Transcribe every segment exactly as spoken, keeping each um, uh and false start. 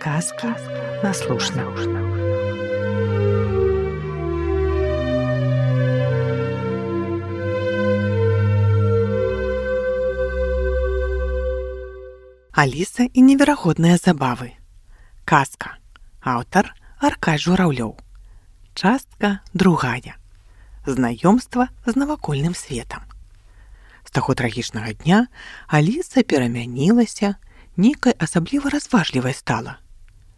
Казки на слушна. Аліса і неверагодныя забавы. Казка. Аўтар Аркадзь Жураўлёў. Частка другая. Знаёмства з навакольным светам. З таго трагічнага дня Аліса перамянілася, нейкай асабліва разважлівай стала.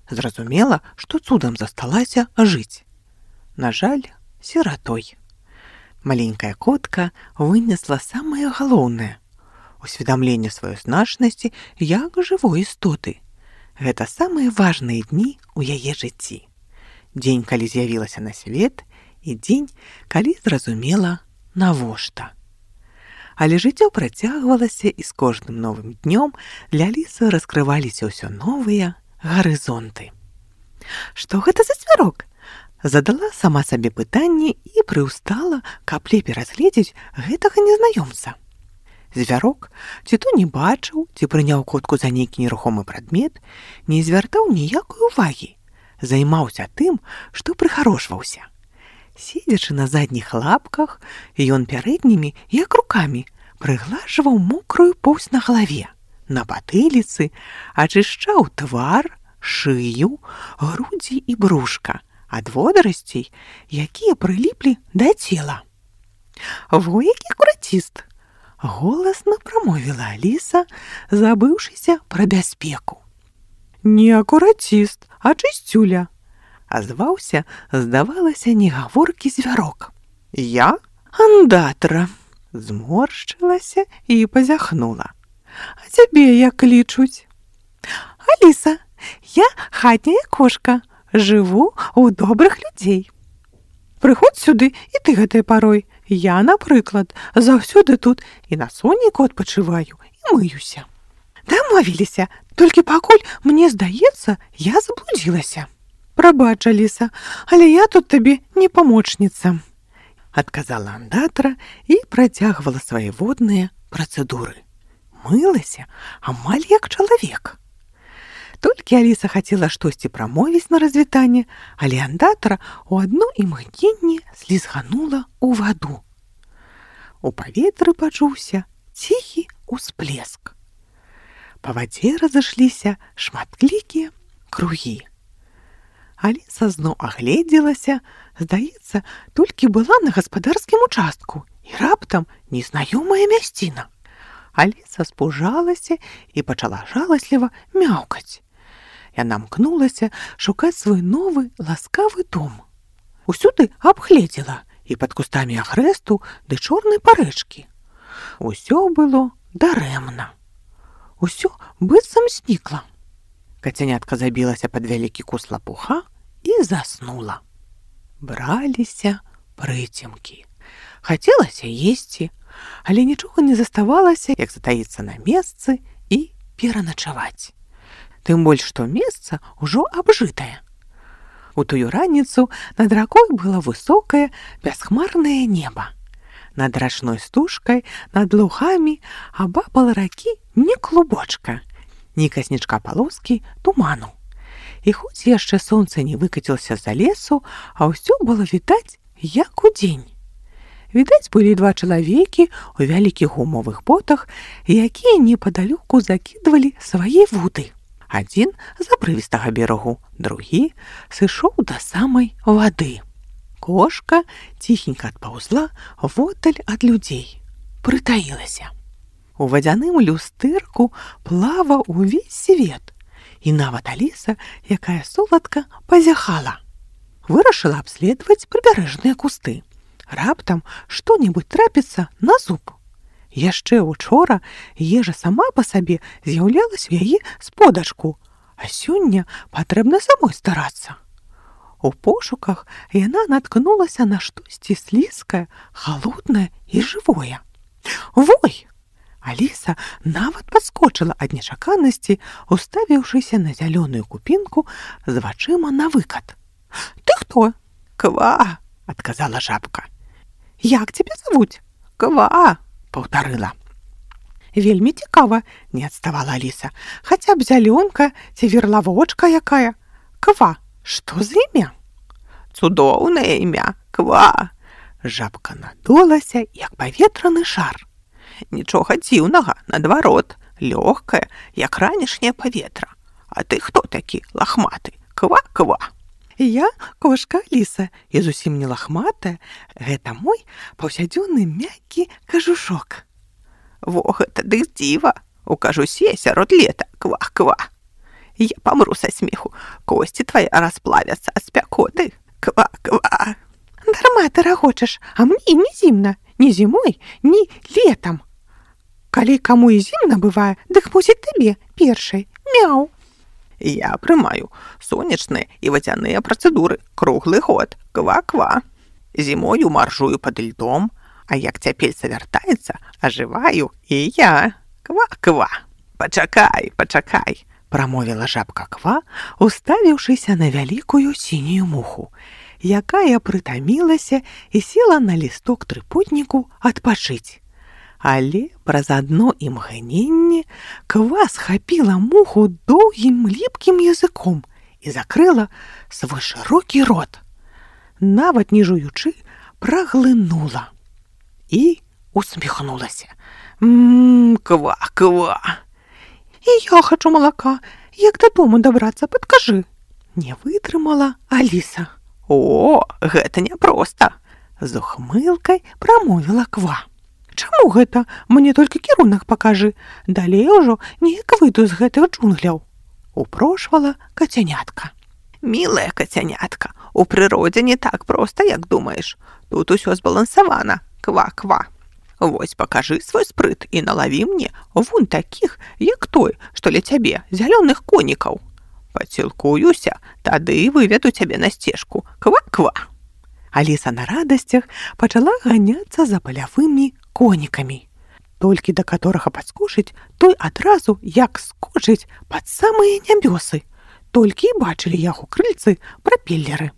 Зразумела, што цудам засталася жыць. На жаль, сіратой. Маленькая котка вынесла самае галоўнае — усведамленне сваёй значнасці як жывой істоты. Гэта самыя важныя дні ў яе жыцці. Дзень, калі з'явілася на свет, і дзень, калі зразумела, навошта. Але жыццё працягвалася, і з кожным новым днём для Алісы раскрываліся ўсё новыя гарызонты. Што гэта за звярок? Задала сама сабе пытанне і прыўстала, каб лепей разгледзець гэтага незнаёмца. Звярок ці то не бачыў, ці прыняў котку за нейкі нерухомы прадмет, не звяртаў ніякай увагі, займаўся тым, што прыхарошваўся. Седзячы на задніх лапках, ён пярэднімі, як рукамі, прыглажваў мокрую поўсць на галаве, на патыліцы, ачышчаў твар, шыю, грудзі і брушка ад водарасцей, якія прыліплі да цела. Во які акураціст! Голасна прамовіла Аліса, забыўшыся пра бяспеку. Не акураціст, а чысцюля. Азваўся, здавалася, негаворкі звярок. Я андатра. Зморшчылася і пазяхнула. А цябе як клічуць? Аліса, я хатняя кошка, жыву ў добрых людзей. Прыходзь сюды і ты гэтай парой. Я, напрыклад, заўсёды тут і на сонейку адпачываю, і мыюся. Дамовіліся, толькі пакуль, мне здаецца, я заблудзілася. Прабач, Аліса, але я тут табе не памочніца. Адказала андатра і працягвала свае водныя працэдуры. Мылася амаль як чалавек. Толькі Аліса хацела штосьці прамовіць на развітанне, але андатра ў адно імгненне слізганула ў ваду. У паветры пачуўся ціхі ўсплеск. Па вадзе разышліся шматклікія кругі. Аліса зноў агледзелася, здаецца, толькі была на гаспадарскім участку, і раптам незнаёмая мясціна. Аліса спужалася і пачала жаласліва мяўкаць. Яна мкнулася шукаць свой новы ласкавы дом. Усюды абгледзела і пад кустамі агрэсту ды чорнай парэчкі. Усё было дарэмна. Усё быццам знікла. Кацянятка забілася пад вялікі куст лапуха і заснула. Браліся прыцемкі. Хацелася есці, але нічога не заставалася, як затаіцца на месцы і пераначаваць. Тым больш, што месца ўжо абжытае. У тую раніцу над ракой было высокае, бясхмарнае неба. Над рачной стужкай, над лугамі абапала ракі ні клубочка, ні каснічка палоскі туману. І хоць яшчэ сонца не выкацілася за лесу, а ўсё было відаць, як удзень. Відаць былі два чалавекі ў вялікіх гумовых ботах, якія непадалёку закідвалі свае вуды. Адзін з абрывістага берагу, другі сышоў да самай вады. Кошка ціхенька адпаўзла воддаль ад людзей, прытаілася. У вадзяным люстэрку плаваў увесь свет, і нават Аліса, якая соладка, пазяхала. Вырашыла абследаваць прыбярэжныя кусты. Раптам што-небудзь трапіцца на зуб. Яшчэ учора ежа сама па сабе з'яўлялася ў яе сподачку, а сёння патрэбна самой старацца. У пошуках яна наткнулася на штосьці слізкае, халоднае і жывое. Вой! Аліса нават падскочыла ад нечаканасці, уставіўшыся на зялёную купінку з вачыма на выкат. Ты хто? Ква! Адказала жабка. Як цябе завуць? Ква! Паўтарыла. Вельмі цікава, не адставала Аліса. Хаця б зялёнка ці верлавочка якая. Ква, што за імя? Цудоўнае імя, Ква. Жабка надулася, як паветраны шар. Нічога дзіўнага, наадварот, лёгкае, як ранішняе паветра. А ты хто такі, лахматы? Ква-ква. Я кошка Аліса, і зусім не лахматая. Гэта мой паўсядзённы мяккі кажушок. Во, гэта дык дзіва. У кажусе сярод лета, ква-ква. Я памру са смеху, косці твае расплавяцца ад спякоты. Ква-ква. Дарма ты рагочаш, а мне не зімна. Ні зімой, ні летам. Калі каму і зімна бывае, дык мусіць табе першай. Мяу. Я прымаю сонечныя і вадзяныя працэдуры круглы год. Ква-ква. Зімою маржую пад льдом, а як цяпельца вяртаецца, ажываю і я. Ква-ква. Пачакай, пачакай, прамовіла жабка Ква, уставіўшыся на вялікую сінюю муху, якая прытамілася і села на лісток трыпутніку адпачыць. Але праз адно імгненне Ква схапіла муху доўгім ліпкім языком і закрыла свой шырокі рот. Нават не жуючы, праглынула і усміхнулася. Мм, Ква-ква. І я хачу малака. Як дадому дабрацца, падкажы. Не вытрымала Аліса. О, гэта няпроста. З ухмылкай прамовіла Ква. Чаму гэта? Мне толькі кірунак пакажы. Далей ужо неяк выйду з гэтых джунгляў. Упрошвала кацянятка. Мілая кацянятка, у прыродзе не так проста, як думаеш. Тут усё збалансавана. Ква-ква. Вось пакажы свой спрыт і налаві мне вунь такіх, як той, што ля цябе, зялёных конікаў. Пацілкуюся, тады выведу цябе на сцежку. Ква-ква. Аліса на радасцях пачала ганяцца за палявымі конікамі. Толькі да каторага падскочыць, той адразу як скочыць пад самыя нябёсы. Толькі і бачылі яго крыльцы прапеллеры.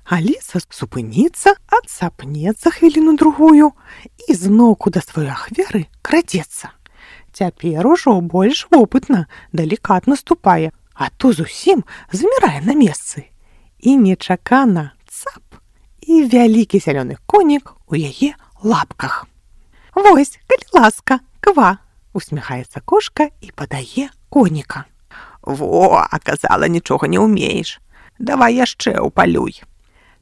Аліса супыніцца, адсапнецца хвіліну-другую і зноўку да сваёй ахвяры крадзецца. Цяпер ужо больш вопытна, далікатна ступае, а то зусім замірае на месцы. І нечакана цап, і вялікі зялёны конік у яе лапках. Вось, калі ласка, Ква, усміхаецца кошка і падае коніка. Во, аказала, нічога не ўмееш. Давай яшчэ ўпалюй.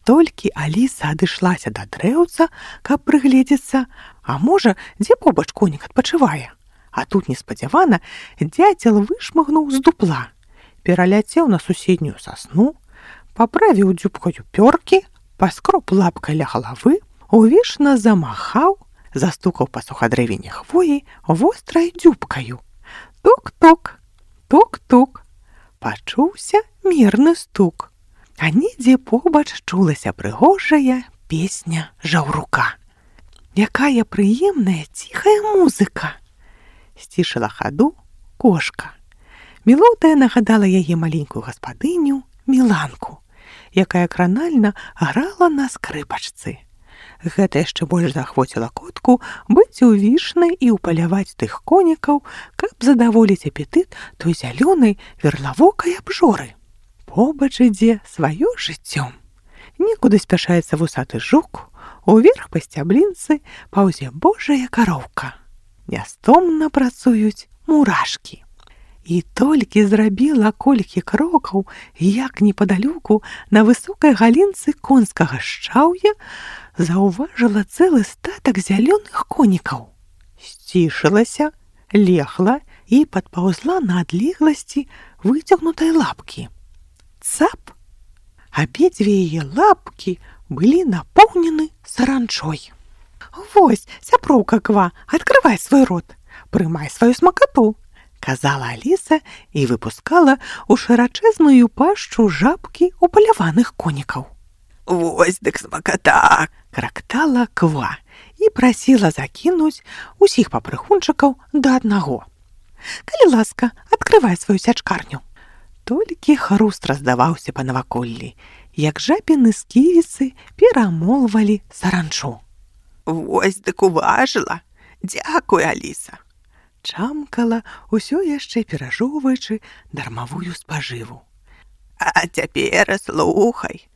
Толькі Аліса адышлася да дрэўца, каб прыгледзецца, а можа, дзе побач конік адпачывае. А тут неспадзявана дзяцел вышмыгнуў з дупла, пераляцеў на суседнюю сасну, паправіў дзюбкаю пёркі, паскроб лапкай ля галавы, увішна замахаў, застукаў па сухадрэвіне хвоі вострай дзюбкаю. Тук-тук, тук-тук. Пачуўся мірны стук. А недзе побач чулася прыгожая песня жаўрука. Якая прыемная ціхая музыка! Сцішыла хаду кошка. Мелодыя нагадала яе маленькую гаспадыню Міланку, якая кранальна грала на скрыпачцы. Гэта яшчэ больш захвоціла котку быць увішнай і ўпаляваць тых конікаў, каб задаволіць апетыт той зялёнай верлавокай абжоры. Побач ідзе сваё жыццём. Некуды спяшаецца вусаты жук, уверх па сцяблінцы паўзе божая кароўка. Нястомна працуюць мурашкі. І толькі зрабіла колькі крокаў, як непадалёку на высокай галінцы конскага шчаўя заўважыла цэлы статак зялёных конікаў. Сцішылася, легла і падпаўзла на адлегласці выцягнутай лапкі. Цап! Абедзве яе лапкі былі напоўнены саранчой. Вось, сяброўка Ква, адкрывай свой рот, прымай сваю смакату, казала Аліса і выпускала ў шырачэзную пашчу жабкі упаляваных конікаў. Вось дык смаката! Крактала Ква і прасіла закінуць усіх папрыхунчыкаў да аднаго. Калі ласка, адкрывай сваю сячкарню. Толькі хруст раздаваўся па наваколлі, як жабіны сківіцы перамолвалі саранчу. Вось дык уважыла. Дзякуй, Аліса. чамкала, усё яшчэ перажоўваючы дармавую спажыву. А цяпер слухай,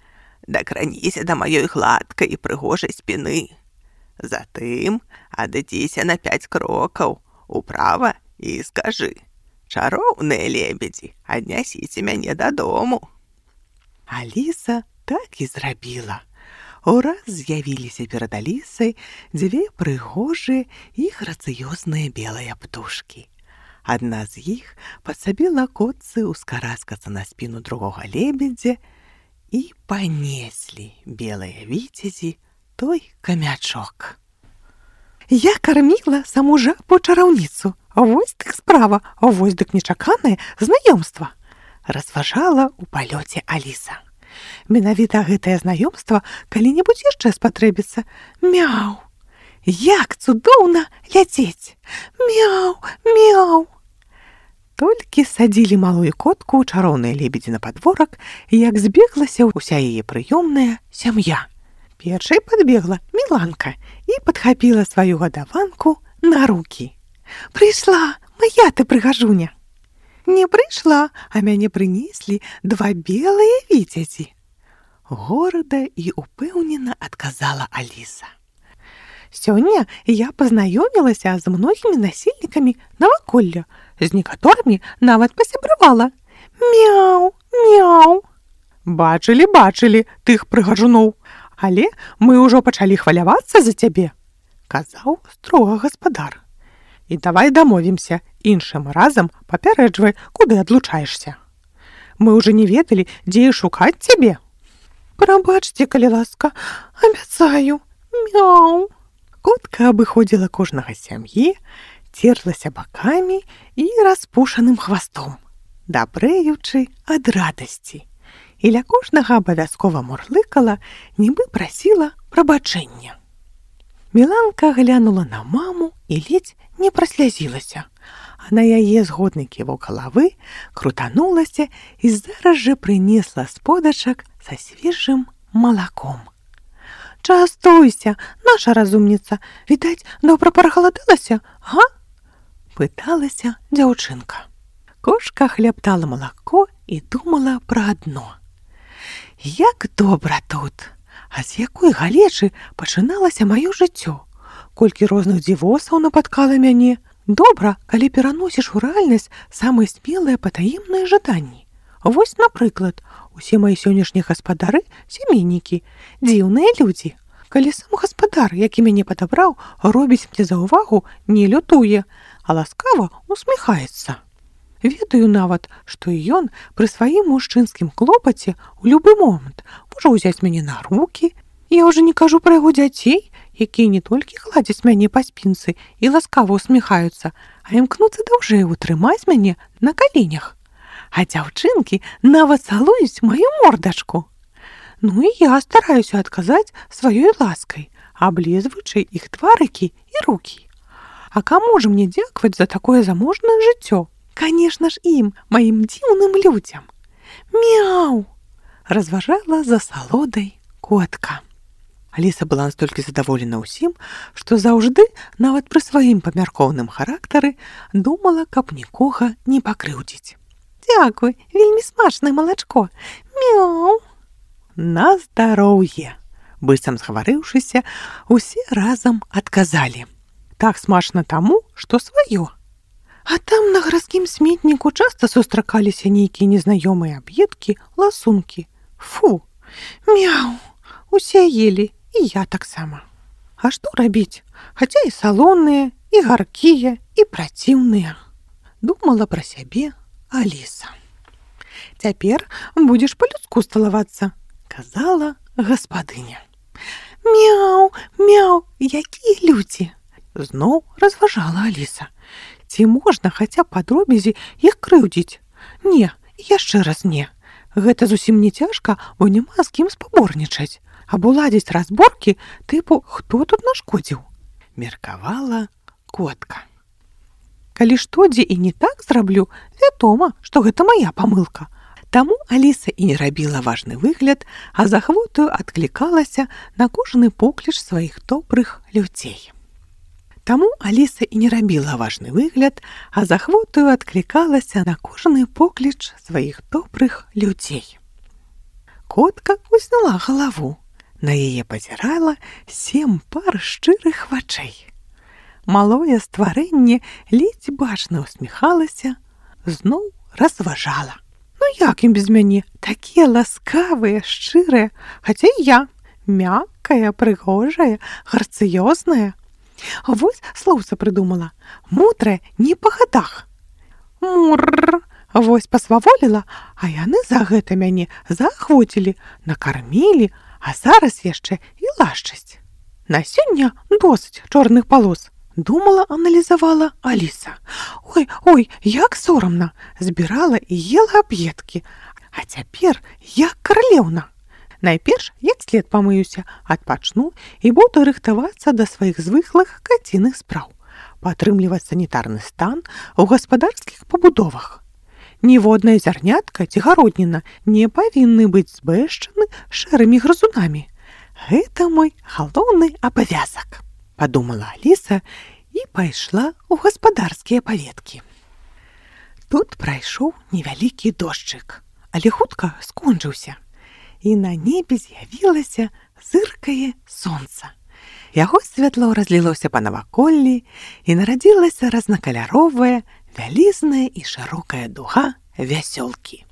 дакраніся да маёй гладкай і прыгожай спіны. Затым адыдзіся на пяць крокаў управа і скажы: «Чароўныя лебедзі, аднясіце мяне дадому». Аліса так і зрабіла. Ураз з'явіліся перад Алісай дзве прыгожыя і грацыёзныя белыя птушкі. Адна з іх падсабіла котцы ўскараскацца на спіну другога лебедзя, і панеслі белыя віцязі той камячок. Я карміла саму жабу-чараўніцу. Вось так справа, вось дык нечаканае знаёмства, разважала ў палёце Аліса. Менавіта гэтае знаёмства калі-небудзь яшчэ спатрэбіцца. Мяу! Як цудоўна ляцець! Мяу, мяу! Толькі садзілі малую котку ў чароўныя лебедзі на падворак, як збеглася ўся яе прыёмная сям'я. Першай падбегла Міланка і падхапіла сваю гадаванку на рукі. «Прыйшла, моя ты прыгажуня!» «Не прыйшла, а мяне прынеслі два белыя віцязі», горда і упэўнена адказала Аліса. «Сёння я пазнаёмілася з многімі насельнікамі наваколля, з некаторымі нават пасябравала. Мяу, мяу!» «Бачылі, бачылі тых прыгажуноў, але мы ўжо пачалі хвалявацца за цябе», казаў строга гаспадар. «І давай дамовімся, іншым разам папярэджвай, куды адлучаешся. Мы ўжо не ведалі, дзе шукаць цябе». «Прабачце, калі ласка, абяцаю, мяу». Котка абыходзіла кожнага з сям'і, церлася бакамі і распушаным хвастом, дабрэючы ад радасці. І ля кожнага абавязкова мурлыкала, нібы прасіла прабачэння. Міланка глянула на маму і ледзь не праслязілася, а на яе згодны ківок галавы крутанулася і зараз жа прынесла з подачак са свежым малаком. «Частуйся, наша разумніца, відаць, добра прагаладалася, га?» пыталася дзяўчынка. Кошка хлябтала малако і думала пра адно. «Як добра тут! А з якой галечы пачыналася маё жыццё? Колькі розных дзівосаў напаткала мяне. Добра, калі пераносіш у рэальнасць самыя смелыя патаемныя жаданні. Вось, напрыклад, усе мои сённяшнія гаспадары сямейнікі, дзіўныя людзі. Калі сам гаспадар, які мяне падабраў, робіць мне заўвагу, не лютуе, а ласкава усміхаецца. Ведаю нават, што і ён пры сваім мужчынскім клопаце ў любы момант можа ўзяць мяне на рукі. Я ўжо не кажу пра яго дзяцей, якія не толькі гладзяць мяне па спінцы і ласкава усміхаюцца, а імкнуцца даўжэй утрымаць мяне на каленях. А дзяўчынкі нават цалуюць маю мордачку. Ну і я стараюся адказаць сваёй ласкай, аблізваючы іх тварыкі і рукі. А каму ж мне дзякаваць за такое заможнае жыццё? Конечно ж ім, маім дзіўным людзям. Мяу! Разважала за салодай котка. Аліса была настолькі задаволена ўсім, што заўжды, нават пры сваім памяркоўным характары, думала, каб нікога не пакрыўдзіць. «Дзякуй, вельмі смачнае малачко. Мяу!» «На здароўе!» Быццам згаварыўшыся, усе разам адказалі. «Так смачна таму, што сваё». А там на гарадскім сметніку часта сустракаліся нейкія незнаёмыя аб'едкі, ласункі. Фу! Мяу! Усе елі, і я таксама. А што рабіць? Хаця і салоныя, і гаркія, і праціўныя. Думала пра сябе Аліса. «Цяпер будзеш па-людску сталавацца», казала гаспадыня. «Мяу, мяу, якія людзі!» Зноў разважала Аліса. Ці можна хаця падробязі іх крыўдзіць? Не, яшчэ раз не. Гэта зусім не цяжка, бо няма з кім спаборнічаць. Або ладзіць разборкі тыпу «Хто тут нашкодзіў?» меркавала котка. Калі што дзе і не так зраблю, вядома, што гэта мая памылка. Таму Аліса і не рабіла важны выгляд, а з ахвотаю адклікалася на кожны покліч сваіх добрых людзей. Таму Аліса і не рабіла важны выгляд, а з ахвотаю адклікалася на кожны покліч сваіх добрых людзей. Котка узняла галаву. На яе пазірала сем пар шчырых вачэй. Малое стварэнне ледзь бачна усміхалася, зноў разважала. Ну як ім без мяне? Такія ласкавыя, шчырыя, хаця і я мяккая, прыгожая, грацыёзная. Вось слоўца прыдумала. Мудрая не па гадах. Мурр! Вось пасваволіла, а яны за гэта мяне заахвоцілі, накармілі, а зараз яшчэ і лашчасць. На сёння досыць чорных палос. Думала, аналізавала Аліса. Ой, ой, як сорамна. Збірала і ела аб'едкі. А цяпер як каралеўна. Найперш, як след памыюся, адпачну і буду рыхтавацца да сваіх звыклых каціных спраў. Падтрымліваць санітарны стан у гаспадарскіх пабудовах. Ніводная зярнятка ці гародніна не павінны быць збэшчаны шэрымі грызунамі. Гэта мой галоўны абавязак, падумала Аліса і пайшла ў гаспадарскія паветкі. Тут прайшоў невялікі дождчык, але хутка скончыўся. І на небе з'явілася зыркае сонца. Яго святло разлілося па наваколлі і нарадзілася разнакаляровая, вялізная і шырокая дуга вясёлкі.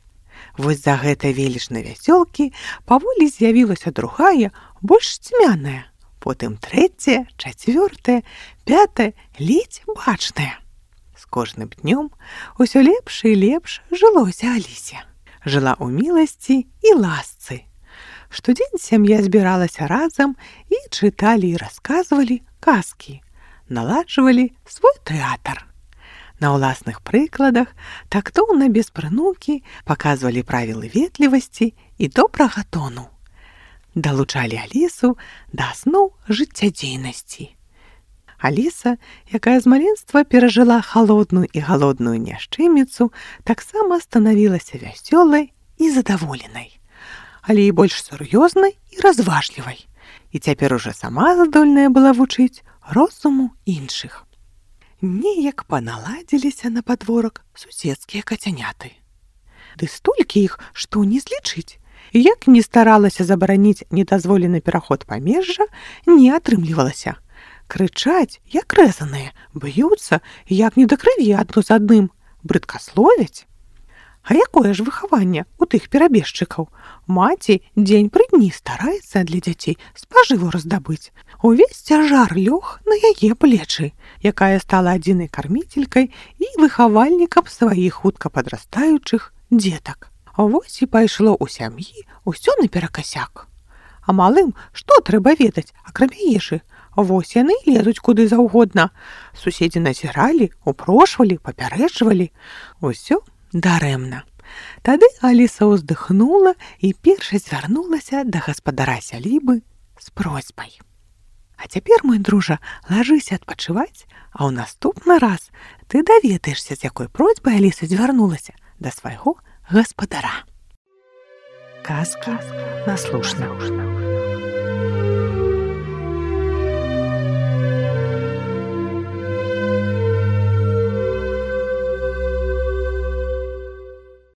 Вось за гэтай велічнай вясёлкі паволі з'явілася другая, больш цьмяная, потым трэцяя, чацвёртая, пятая, ледзь бачная. З кожным днём усё лепш і лепш жылося Алісе. Жыла ў міласці і ласцы. Штодзень сям'я збіралася разам і чыталі і расказвалі казкі, наладжвалі свой тэатр. На ўласных прыкладах тактоўна без прынукі паказвалі правілы ветлівасці і добрага тону. Далучалі Алісу да асноў жыццядзейнасці. Аліса, якая з маленства перажыла халодную і галодную няшчыміцу, таксама станавілася вясёлай і задаволенай, але і больш сур'ёзнай і разважлівай. І цяпер ужо сама здольная была вучыць розуму іншых. Неяк паналадзіліся на падворак суседскія кацяняты. Ды столькі іх, што не злічыць. Як не старалася забараніць недазволены пераход памежжа, не атрымлівалася. Крычаць, як рэзаныя, б'юцца, як не да крыві адно з адным, брыдкасловяць. А якое ж выхаванне у тых перабежчыкаў? Маці дзень пры дні стараецца для дзяцей спажыву раздабыць. Увесь цяжар лёг на яе плечы, якая стала адзінай карміцелькай і выхавальнікам сваіх хутка падрастаючых дзетак. Вось і пайшло ў сям'і ўсё наперакасяк. А малым што трэба ведаць, акрамя ежы? Вось яны лезуць куды заўгодна. Суседзі назіралі, упрошвалі, папярэджвалі. Усё дарэмна. Тады Аліса ўздыхнула і першай звярнулася да гаспадара сялібы з просьбай. А цяпер, мой дружа, лажыся адпачываць, а ў наступны раз ты даведаешся, з якой просьбай Аліса звярнулася да свайго гаспадара. Казка наслушна.